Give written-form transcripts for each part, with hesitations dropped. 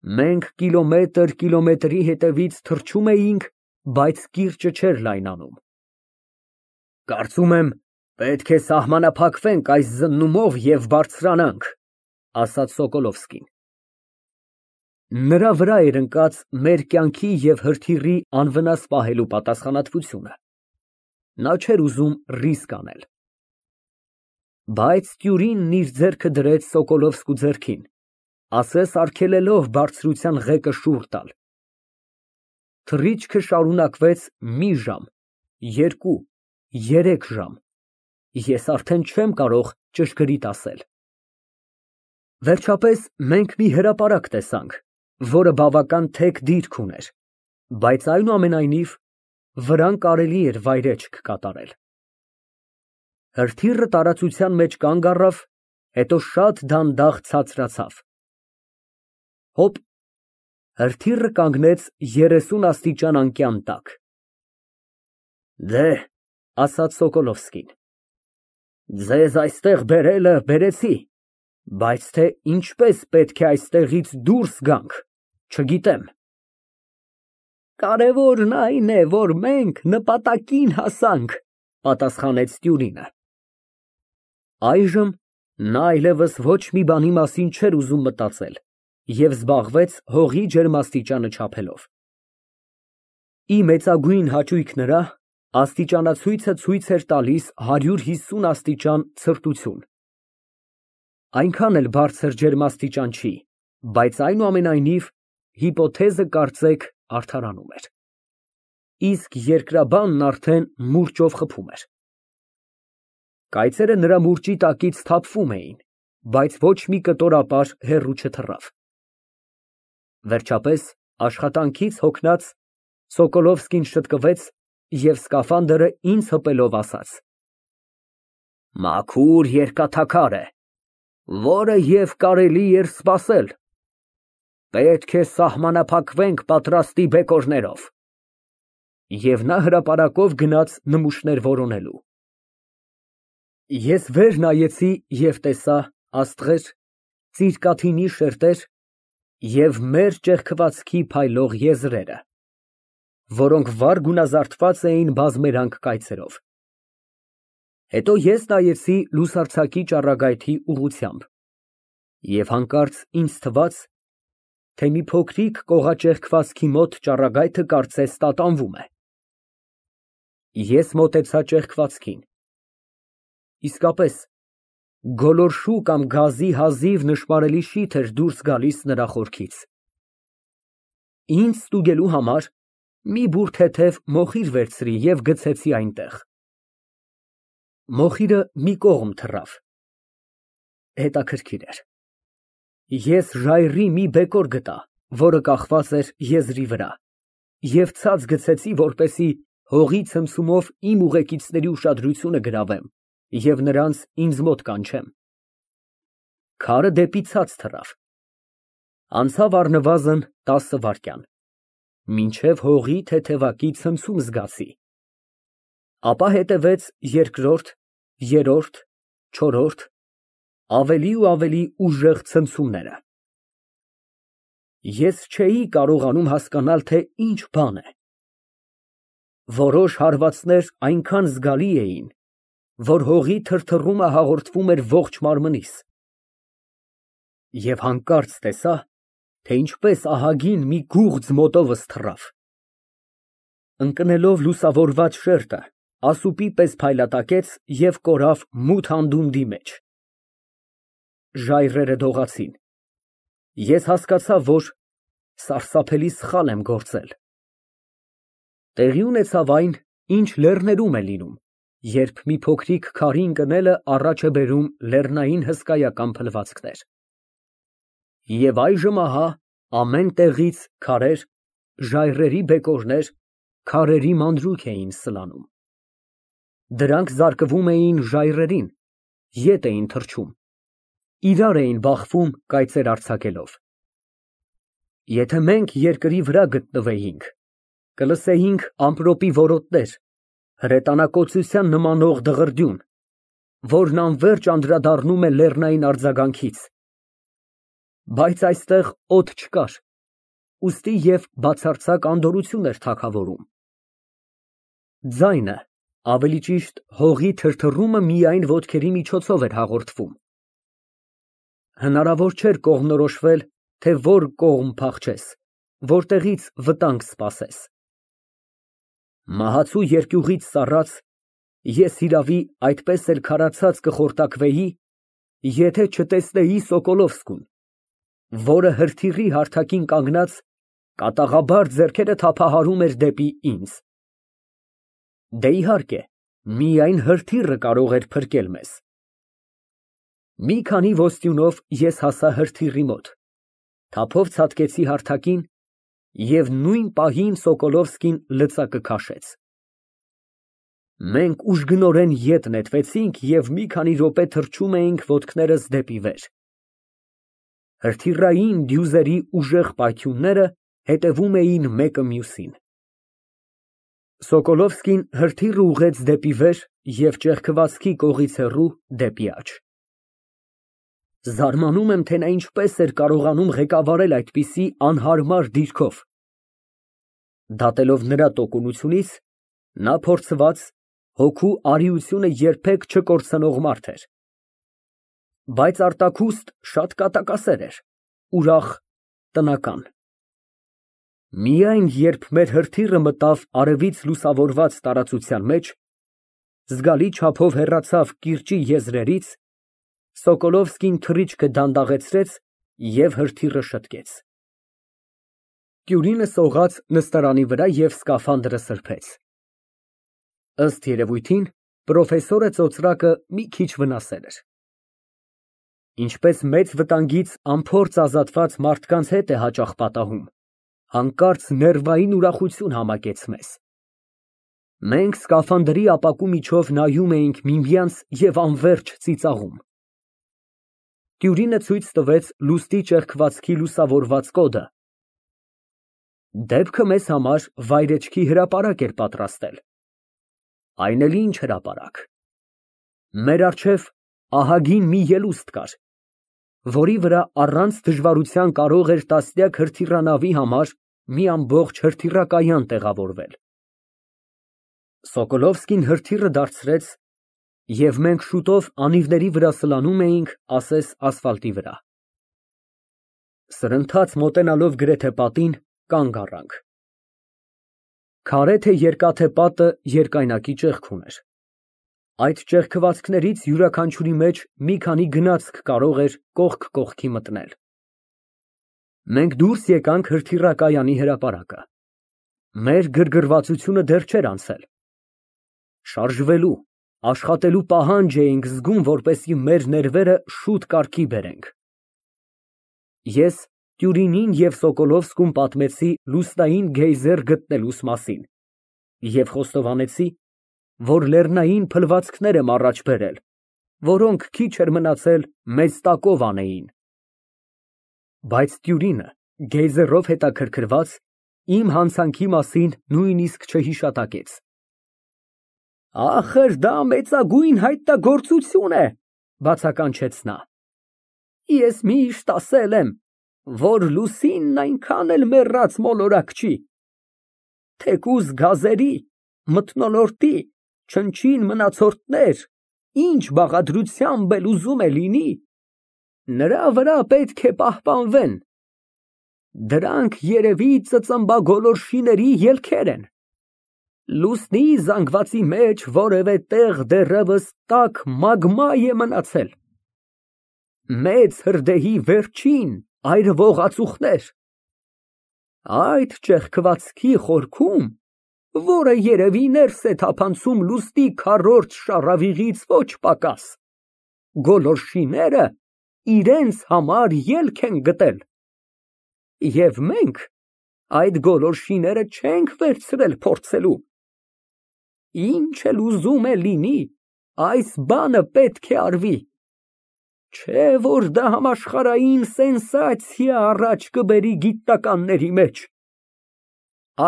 Մենք կիլոմետրի հետևից թռչում էինք, բայց կիրճը չէր լայնանում։ Կարծում եմ, պետք է սահմանափակվենք այս զննումով և բարձրանանք, ասաց Սոկոլովսկին։ Նրա վրա էր ընկած մեր կյանքի և հրթիռի անվնաս պահելու պատասխանատվությունը։ Նա չէր ուզում ռիսկ անել։ Բայց տյուրինն իր ձեռքը դրեց Սոկոլովսկու ձեռքին, ասես արգելելով բարձրության ղեկը շուռ տալ։ Թռիչքը շարունակվեց մի ժամ, երկու, երեք ժամ, ես արդեն չեմ կարող ճշգրիտ ասել։ Վերջապես մենք մի հրապարակ տեսանք, որը բավական թեք դիրք ուներ, բայց այնուամենայնիվ վրան կարելի էր վայրէջք կատարել։ Հրթիռը տարածության մեջ կանգ առավ, հետո շատ դանդաղ ցածրացավ։ Հոպ, հրթիռը կանգնեց 30 աստիճան անկյան տակ։ Դեհ, ասաց Սոկոլովսկին, ձեզ այստեղ բերելը բերեցի, բայց թե ինչպես պետք է այստեղից դուրս գանք, չգիտեմ։ Կարևորն այն է, որ մենք նպատակին հասանք, պատասխանեց տյուրինը։ Այժմ նա այլևս ոչ մի բանի մասին չէր ուզում մտածել և զբաղվեց հողի ջերմաստիճանը չափելով։ Ի մեծագույն հաճույք նրա, աստիճանացույցը ցույց էր տալիս 150 աստիճան ցրտություն։ Այնքան էլ բարձր ջերմաստիճան չի, բայց այնուամենայնիվ հիպոթեզը կարծեք արդարանում էր։ Իսկ երկրաբանն արդեն մուրճով խփում էր։ Կայծերը նրա մուրճի տակից թափվում էին, բայց ոչ մի կտորապար հեռու չթռավ։ Վերջապես, աշխատանքից հոգնած, Սոկոլովսկին շտկվեց և սկաֆանդրը ինձ հպելով ասաց. Մաքուր երկաթաքար է, որը և կարելի էր սպասել։ Պետք է սահմանափակվենք պատրաստի բեկորներով։ Եվ նա հրապարակով գնաց նմուշներ որոնելու։ Ես վեր նայեցի և տեսա աստղեր, ծիրկաթինի շերտեր և մեր ճեղքվածքի փայլող եզրերը, որոնք վառ գունազարդված էին բազմերանգ կայծերով։ Հետո ես նայեցի լուսարձակի ճառագայթի ուղղությամբ և հանկարծ ինձ թվաց, թե մի փոքրիկ կողաճեղքվածքի մոտ ճառագայթը կարծես տատանվում է։ Ես մոտեցա ճեղքվածքին։ Իսկապես, գոլորշու կամ գազի հազիվ նշմարելի շիթ էր դուրս գալիս նրա խորքից։ Ինձ ստուգելու համար մի բուռ թեթև մոխիր վերցրի և գցեցի այնտեղ։ Մոխիրը մի կողմ թռավ։ Հետաքրքիր էր։ Ես ժայռի մի բեկոր գտա, որը կախված էր եզրի վրա, և ցած գցեցի, որպեսզի հողի ցմցումով իմ ուղեկիցների ուշադրությունը գրավեմ և նրանց ինձ մոտ կանչեմ։ Քարը դեպի ցած թռավ։ Անցավ առնվազն 10 վայրկյան, մինչև հողի թեթևակի ցմցում զգացի։ Ապա հետևեց երկրորդ, երրորդ, չորրորդ, ավելի ու ավելի ուժեղ ցնցումները։ Ես չէի կարողանում հասկանալ, թե ինչ բան է։ Որոշ հարվածներ այնքան զգալի էին, որ հողի թրթռումը հաղորդվում էր ողջ մարմնիս։ Եվ հանկարծ տեսա, թե ինչպես ահագին մի գուղձ մոտովս թռավ։ Ընկնելով լուսավորված շերտը, ասուպի պես փայլատակեց և կորավ մութ անդունդի մեջ։ Ժայռերը դողացին։ Ես հասկացա, որ սարսափելի սխալ եմ գործել։ Տեղի ունեցավ այն, ինչ լեռներում է լինում, երբ մի փոքրիկ քարի ընկնելը առաջ է բերում լեռնային հսկայական փլվածքներ։ Եվ այժմ ահա ամեն տեղից քարեր, ժայռերի բեկորներ, քարերի մանրուք էին սլանում։ Դրանք զարկվում էին ժայռերին, ետ էին թռչում, իրար էին բախվում կայծեր արձակելով։ Եթե մենք երկրի վրա գտնվեինք, կլսեինք ամպրոպի որոտներ, հրետանակոծության նմանող դղրդյուն, որն անվերջ անդրադառնում է լեռնային արձագանքից։ Բայց այստեղ օդ չկար, ուստի և բացարձակ անդորրություն էր թագավորում։ Ձայնը, ավելի ճիշտ հողի թրթռումը միայն ոտքերի միջոցով էր հաղորդվում։ Հնարավոր չէր կողմնորոշվել, թե որ կողմ փախչես, որտեղից վտանգ սպասես։ Մահացու երկյուղից սառած, ես իրավի այդպես էլ քարացած կխորտակվեի, եթե չտեսնեի Սոկոլովսկուն, որը հրթիռի հարթակին կանգնած կատաղաբար ձեռքերը թափահարում էր դեպի ինձ։ Դե իհարկե, միայն հրթիռը կարող էր փրկել մեզ։ Մի քանի ոստյունով ես հասա հրթիռի մոտ, թափով ցատկեցի հարթակին և նույն պահին Սոկոլովսկին լծակը քաշեց։ Մենք ուժգնորեն ետ նետվեցինք և մի քանի րոպե թռչում էինք ոտքներս դեպի վեր։ Հրթիռային դյուզերի ուժեղ պայթյունները հետևում էին մեկը մյուսին։ Սոկոլովսկին հրթիռը ուղղեց դեպի վեր և ճեղքվածքի կողից հեռու դեպի աջ։ Զարմանում եմ, թե նա ինչպես էր կարողանում ղեկավարել այդպիսի անհարմար դիրքով։ Դատելով նրա տոկունությունից, նա փորձված, հոգու արիությունը երբեք չկորցնող մարդ էր։ Բայց արտաքուստ շատ կատակասեր էր, ուրախ, տնական։ Միայն երբ մեր հրթիռը մտավ արևից լուսավորված տարածության մեջ, զգալի չափով հեռացավ կիրճի եզրերից, Սոկոլովսկին թռիչքը դանդաղեցրեց և հրթիռը շտկեց։ Կյուրինը սողաց նստարանի վրա և սկաֆանդրը սրբեց։ Ըստ երևույթին, պրոֆեսորը ծոծրակը մի քիչ վնասել էր։ Ինչպես մեծ վտանգից անփորձ ազատված մարդկանց հետ է հաճախ պատահում, հանկարծ ներվային ուրախություն համակեց մեզ։ Մենք սկաֆանդրի ապակու միջով նայում էինք միմյանց և անվերջ ծիծաղում։ Տյուրինը ցույց տվեց լուստի ճեղքվածքի լուսավորված կոդը։ Դեպքը մեզ համար վայրեջքի հրապարակ էր պատրաստել։ Այն էլ ինչ հրապարակ։ Մեր առջև ահագին մի ելուստ կար, որի վրա առանց դժվարության կարող էր տասնյակ հրթիռանավի համար մի ամբողջ հրթիռակայան տեղավորվել։ Սոկոլովսկին հրթիռը դարձրեց, և մենք շուտով անիվների վրա սլանում էինք ասես ասֆալտի վրա։ Սրընթաց մոտենալով գրեթե պատին, կանգ առանք։ Քարե թե երկաթե պատը երկայնակի ճեղք ուներ։ Այդ ճեղքվածքներից յուրաքանչյուրի մեջ մի քանի գնացք կարող էր կողք կողքի մտնել։ Մենք դուրս եկանք հրթիռակայանի հրապարակը։ Մեր գրգռվածությունը դեռ չէր անցել։ Շարժվելու, աշխատելու պահանջ էինք զգում, որպեսզի մեր ներվերը շուտ կարգի բերենք։ Ես Տյուրինին և Սոկոլովսկուն պատմեցի լուսնային գեյզեր գտնելուս մասին և խոստովանեցի, որ լեռնային փլվածքներ եմ առաջ բերել, որոնք քիչ էր մնացել մեզ տակով անեին։ Բայց Տյուրինը, գեյզերով հետաքրքրված, իմ հանցանքի մասին նույնիսկ չհիշատակեց։ Ախր դա մեծագույն հայտնագործություն է, բացականչեց նա։ Ես միշտ ասել եմ, որ լուսինն այնքան էլ մեռած մոլորակ չի։ Թեկուզ գազերի, մթնոլորտի, չնչին մնացորդներ ինչ բաղադրությամբ էլ ուզում է լինի, նրա վրա պետք է պահպանվեն։ Դրանք երևի ծծմբագոլորշիների ելքեր են։ Լուսնի զանգվածի մեջ որևէ տեղ դեռևս տաք մագմա է մնացել։ Մեծ հրդեհի վերջին այրվող ածուխներ։ Այդ ճեղքվածքի խորքում, որը երևի ներս է թափանցում լուսնի քառորդ շառավիղից ոչ պակաս, գոլորշիները իրենց համար ելք են գտել։ Եվ մենք այդ գոլորշիները չենք վերցրել փորձելու։ Ինչ էլ ուզում է լինի, այս բանը պետք է արվի։ Չէ որ դա համաշխարհային սենսացիա առաջ կբերի գիտնականների մեջ։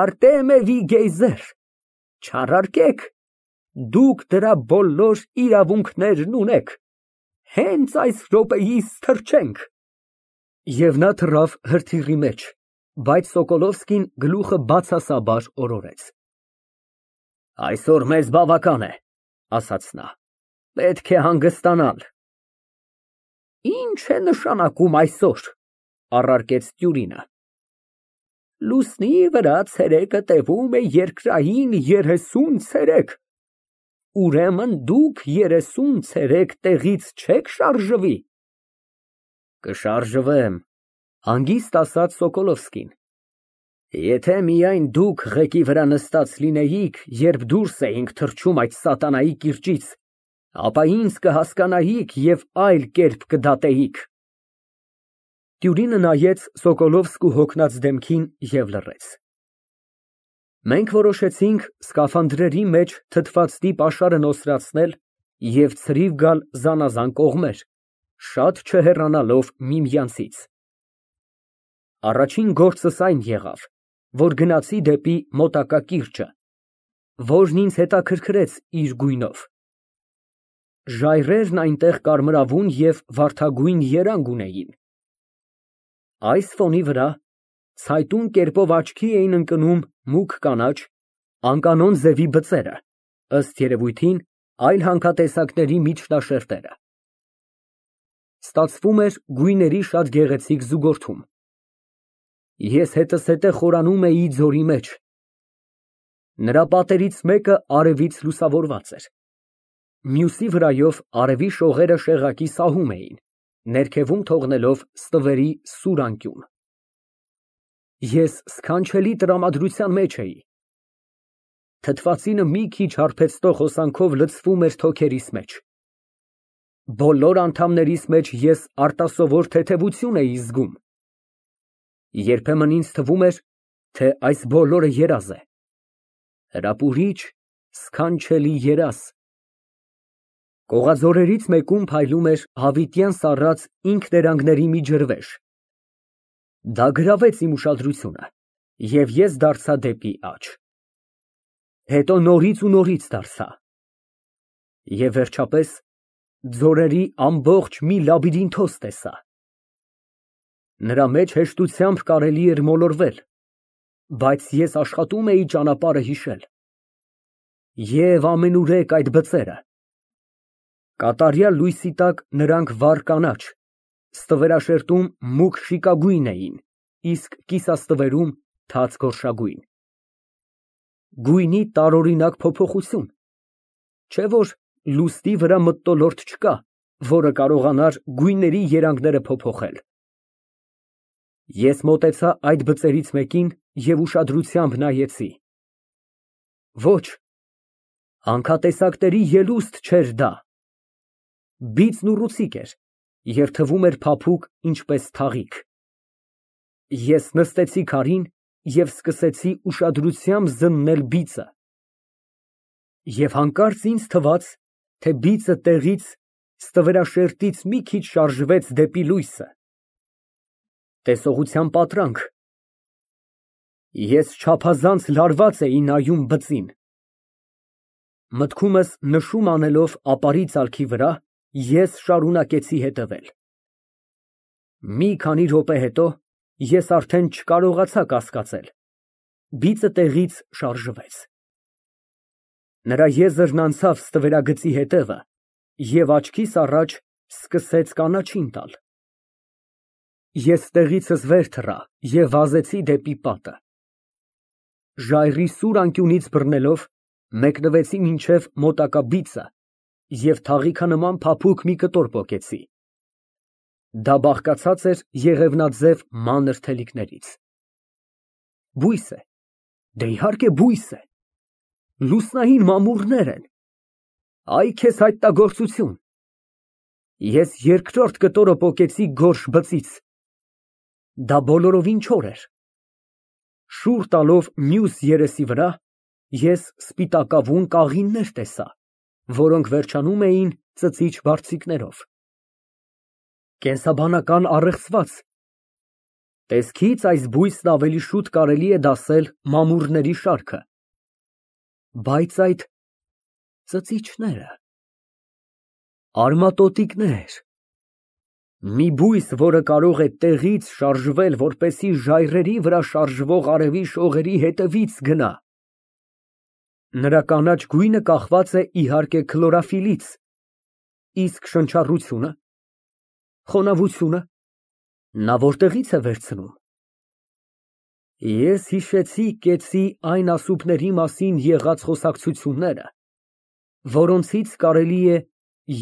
Արտեմևի գեյզեր, չարարկեք, դուք դրա բոլոր իրավունքներն ունեք, հենց այս րոպեիս թռչենք։ Եվ նա թռավ հրթիռի մեջ, Բայց Սոկոլովսկին գլուխը բացասաբար օրորեց։ Այսօր մեզ բավական է, ասաց նա, պետք է հանգստանալ։ Ինչ է նշանակում այսօր, առարկեց Տյուրինը։ Լուսնի վրա ցերեկը տևում է երկրային 30 ցերեկ, ուրեմն դուք 30 ցերեկ տեղից չեք շարժվի։ Կշարժվեմ, հանգիստ ասաց Սոկոլովսկին, եթե միայն դուք ղեկի վրա նստած լինեիք, երբ դուրս էինք թռչում այդ սատանայի կիրճից, ապա ինձ կհասկանայիք և այլ կերպ կդատեիք։ Տյուրինը նայեց Սոկոլովսկու հոգնած դեմքին և լռեց։ Մենք որոշեցինք սկաֆանդրերի մեջ թթվածնի պաշարը նոսրացնել և ցրիվ գալ զանազան կողմեր, շատ չհեռանալով միմյանցից։ Առաջին գործս այն եղավ, որ գնացի դեպի մոտակա կիրճը, որն ինձ հետաքրքրեց իր գույնով։ Ժայռերն այնտեղ կարմրավուն և վարդագույն երանգ ունեին։ Այս ֆոնի վրա ցայտուն կերպով աչքի էին ընկնում մուգ կանաչ, անկանոն ձևի բծերը, ըստ երևույթին այլ հանքատեսակների միջնաշերտերը։ Ստացվում էր գույների շատ գեղեցիկ զուգորդում։ Ես հետզհետե խորանում էի ձորի մեջ։ Նրա պատերից մեկը արևից լուսավորված էր, մյուսի վրայով արևի շողերը շեղակի սահում էին, ներքևում թողնելով ստվերի սուր անկյուն։ Ես սքանչելի տրամադրության մեջ էի։ Թթվածինը մի քիչ հարբեցնող հոսանքով լցվում էր թոքերիս մեջ։ Բոլոր անդամներիս մեջ ես արտասովոր թեթևություն էի զգում։ Երբեմն ինձ թվում էր, թե այս բոլորը երազ է, հրապուրիչ, սքանչելի երազ։ Կողաձորերից մեկում փայլում էր հավիտյան սառած ինքներանգների մի ջրվեժ։ Դա գրավեց իմ ուշադրությունը, և ես դարձա դեպի աջ։ Հետո նորից ու նորից դարձա։ Եվ վերջապես ձորերի ամբողջ մի լաբիրինթոս տեսա։ Նրա մեջ հեշտությամբ կարելի էր մոլորվել, բայց ես աշխատում էի ճանապարհը հիշել։ Եվ ամենուրեք այդ բծերը։ Կատարյալ լույսի տակ նրանք վառ կանաչ, ստվերաշերտում մուգ շիկագույն էին, իսկ կիսաստվերում թաց գորշագույն։ Գույնի տարօրինակ փոփոխություն, չէ՞ որ լուսնի վրա մթնոլորտ չկա, որը կարողանար գույների երանգները փոփոխել։ Ես մոտեցա այդ բծերից մեկին և ուշադրությամբ նայեցի։ Ոչ, հանքատեսակների ելուստ չէր դա։ Բիծն ուռուցիկ էր և թվում էր փափուկ, ինչպես թաղիք։ Ես նստեցի քարին և սկսեցի ուշադրությամբ զննել բիծը։ Եվ հանկարծ ինձ թվաց, թե բիծը տեղից, ստվերաշերտից մի քիչ շարժվեց դեպի լույսը։ Տեսողության պատրանք։ Ես չափազանց լարված էի նայում բծին։ Մտքումս նշում անելով ապարի ծալքի վրա, ես շարունակեցի հետևել։ Մի քանի րոպե հետո ես արդեն չկարողացա կասկածել, բիծը տեղից շարժվեց։ Նրա եզրն անցավ ստվերագծի հետևը և աչքիս առաջ սկսեց կանաչին տալ։ Ես տեղիցս վեր թռա և վազեցի դեպի պատը։ Ժայռի սուր անկյունից բռնելով, մեկնվեցի մինչև մոտակա բիծը և թաղիքանման փափուկ մի կտոր պոկեցի։ Դա բաղկացած էր եղևնաձև մանր թելիկներից։ Բույս է, դե իհարկե բույս է, լուսնային մամուռներ են, այ քեզ հայտնագործություն։ Ես երկրորդ կտորը պոկեցի գորշ բծից։ Դա բոլորովին չոր էր։ Շուռ տալով մյուս երեսի վրա, ես սպիտակավուն կաղիններ տեսա, որոնք վերջանում էին ծծիչ բարձիկներով։ Կենսաբանական առեղծված։ Տեսքից այս բույսն ավելի շուտ կարելի է դասել մամուռների շարքը։ Բայց այդ ծծիչները… Արմատոտիկներ, Մի բույս, որը կարող է տեղից շարժվել, որպեսզի ժայռերի վրա շարժվող արևի շողերի հետևից գնա։ Նրա կանաչ գույնը կախված է իհարկե քլորոֆիլից, իսկ շնչառությունը, խոնավությունը նա որտեղից է վերցնում։ Ես հիշեցի կեցի այն ասուբների մասին եղած խոսակցությունները, որոնցից կարելի է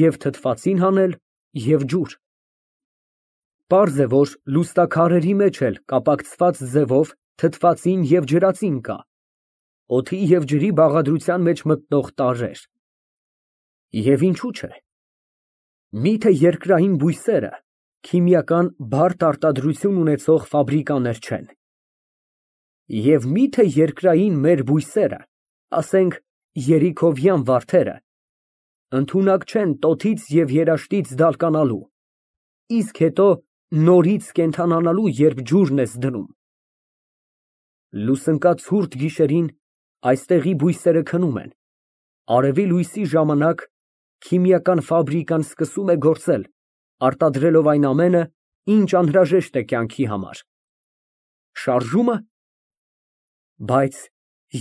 և թթվածին հանել, և ջուր։ Պարզ է, որ լուստաքարերի մեջ էլ կապակցված ձևով թթվածին և ջրածին կա, օդի և ջրի բաղադրության մեջ մտնող տարրեր։ Եվ ինչու՞ չէ։ Միթե երկրային բույսերը քիմիական բարդ արտադրություն ունեցող ֆաբրիկաներ չեն։ Եվ միթե երկրային մեր բույսերը, ասենք երիքովյան վարդերը, ընդունակ չեն տոտից և երաշտից դալկանալու, իսկ հետո նորից կենդանանալու, երբ ջուրն ես դնում։ Լուսնկած ցուրտ գիշերին այստեղի բույսերը քնում են, արևի լույսի ժամանակ քիմիական ֆաբրիկան սկսում է գործել, արտադրելով այն ամենը, ինչ անհրաժեշտ է կյանքի համար։ Շարժումը։ Բայց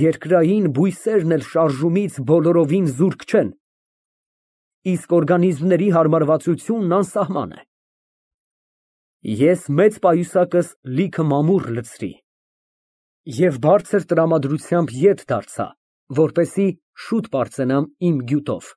երկրային բույսերն էլ շարժումից բոլորովին զուրկ չեն, իսկ օրգանիզմների հարմարվածությունն անսահման է։ Ես մեծ պայուսակս լիքը մամուռ լցրի և բարձր տրամադրությամբ ետ դարձա, որպեսզի շուտ պարծենամ իմ գյուտով։